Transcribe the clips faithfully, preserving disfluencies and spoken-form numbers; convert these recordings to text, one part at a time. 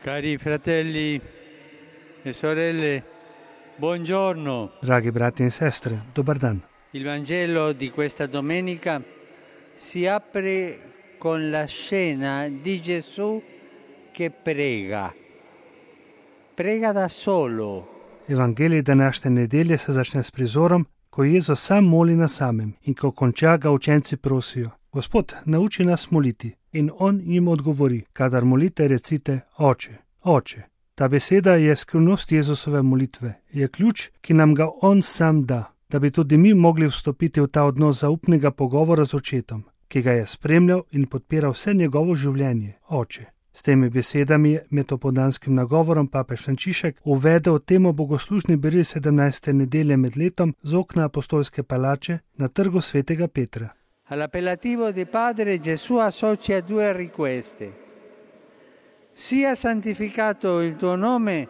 Cari fratelli e sorelle, buongiorno. Dragi brati in sestre, dobar dan. Il Vangelo di questa domenica si apre con la scena di Gesù che prega. Prega da solo. Evangelij današnje nedelje se začne s prizorom, ko Jezus sam moli na samem in ko konča, ga učenci prosijo: Gospod, nauči nas moliti. In on jim odgovori: kadar molite, recite: Oče, Oče. Ta beseda je skrivnost Jezusove molitve, je ključ, ki nam ga on sam da, da bi tudi mi mogli vstopiti v ta odnos zaupnega pogovora z očetom, ki ga je spremljal in podpiral vse njegovo življenje. Oče. S temi besedami je med opoldanskim nagovorom papež Frančišek uvedel temo bogoslužni beril sedemnajste nedelje med letom z okna apostolske palače na trgu svetega Petra. All'appellativo di Padre Gesù associa due richieste. Sia santificato il tuo nome,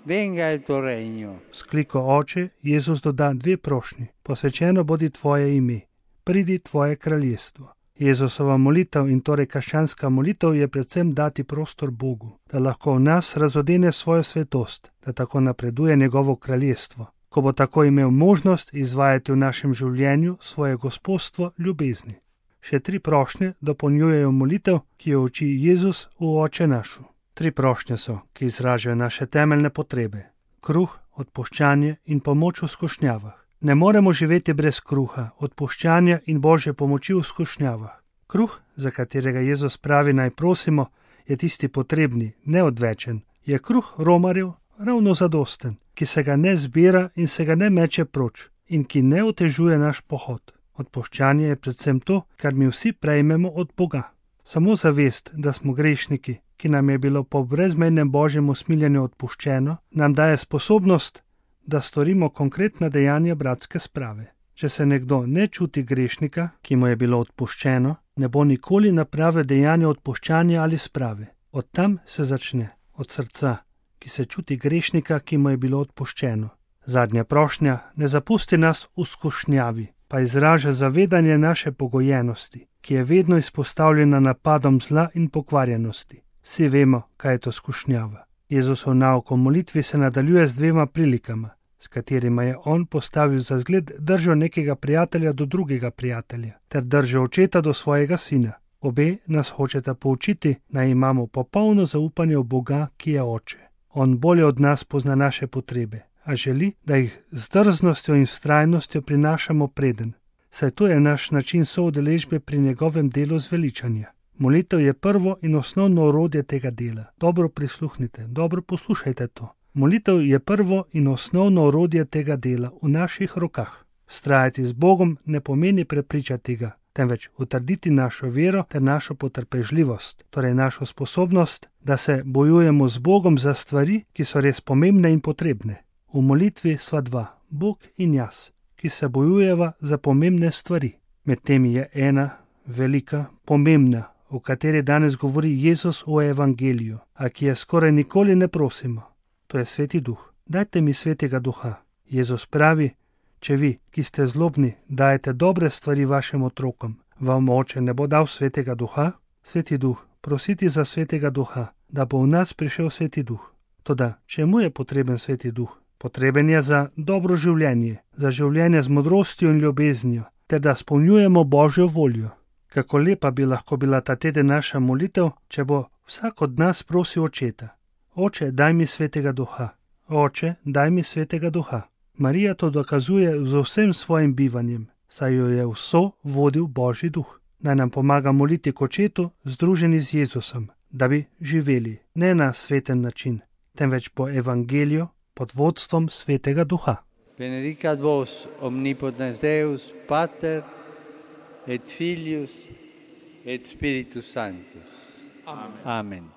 venga il tuo regno. S kliko Oče Jezus doda dve prošnji: posvečeno bodi tvoje ime, pridi tvoje kraljestvo. Jezusova molitev in torej krščanska molitev je predvsem dati prostor Bogu, da lahko v nas razodene svojo svetost, da tako napreduje njegovo kraljestvo, ko bo tako imel možnost izvajati v našem življenju svoje gospodstvo ljubezni. Še tri prošnje dopolnjujejo molitev, ki jo uči Jezus v Oče našu. Tri prošnje so, ki izražajo naše temeljne potrebe: kruh, odpuščanje in pomoč v skušnjavah. Ne moremo živeti brez kruha, odpuščanja in Božje pomoči v skušnjavah. Kruh, za katerega Jezus pravi naj prosimo, je tisti potrebni, neodvečen. Je kruh romarjev ravno zadosten, ki se ga ne zbira in se ga ne meče proč in ki ne otežuje naš pohod. Odpuščanje je predvsem to, kar mi vsi prejmemo od Boga. Samo zavest, da smo grešniki, ki nam je bilo po brezmejnem Božjem usmiljenju odpuščeno, nam daje sposobnost, da storimo konkretna dejanja bratske sprave. Če se nekdo ne čuti grešnika, ki mu je bilo odpuščeno, ne bo nikoli napravil dejanja odpuščanja ali sprave. Od tam se začne, od srca, ki se čuti grešnika, ki mu je bilo odpuščeno. Zadnja prošnja: ne zapusti nas v skušnjavi, pa izraža zavedanje naše pogojenosti, ki je vedno izpostavljena napadom zla in pokvarjenosti. Vsi vemo, kaj je to skušnjava. Jezusov nauk o molitvi se nadaljuje z dvema prilikama, s katerima je on postavil za zgled držo nekega prijatelja do drugega prijatelja, ter držo očeta do svojega sina. Obe nas hočeta poučiti, naj imamo popolno zaupanje v Boga, ki je Oče. On bolje od nas pozna naše potrebe, a želi, da jih z drznostjo in vztrajnostjo prinašamo preden, saj to je naš način soudeležbe pri njegovem delu zveličanja. Molitev je prvo in osnovno orodje tega dela. Dobro prisluhnite, dobro poslušajte to. Molitev je prvo in osnovno orodje tega dela v naših rokah. Vztrajati z Bogom ne pomeni prepričati ga, temveč utrditi našo vero ter našo potrpežljivost, torej našo sposobnost, da se bojujemo z Bogom za stvari, ki so res pomembne in potrebne. V molitvi sva dva, Bog in jaz, ki se bojujeva za pomembne stvari. Med temi je ena, velika, pomembna, o kateri danes govori Jezus v Evangeliju, a ki je skoraj nikoli ne prosimo. To je Sveti Duh. Dajte mi Svetega Duha. Jezus pravi: če vi, ki ste zlobni, dajete dobre stvari vašim otrokom, vam Oče ne bo dal Svetega Duha? Sveti Duh, prositi za Svetega Duha, da bo v nas prišel Sveti Duh. Toda čemu je potreben Sveti Duh? Potreben je za dobro življenje, za življenje z modrostjo in ljubeznijo, ter da spolnjujemo Božjo voljo. Kako lepa bi lahko bila ta teden naša molitev, če bo vsak od nas prosil Očeta: Oče, daj mi Svetega Duha. Oče, daj mi Svetega Duha. Marija to dokazuje z vsem svojim bivanjem, saj jo je vso vodil Božji Duh. Naj nam pomaga moliti k Očetu, združeni z Jezusom, da bi živeli ne na sveten način, temveč po Evangeliju pod vodstvom Svetega Duha. Benedicat vos omnipotens Deus, Pater et Filius et Spiritus Sanctus. Amen. Amen.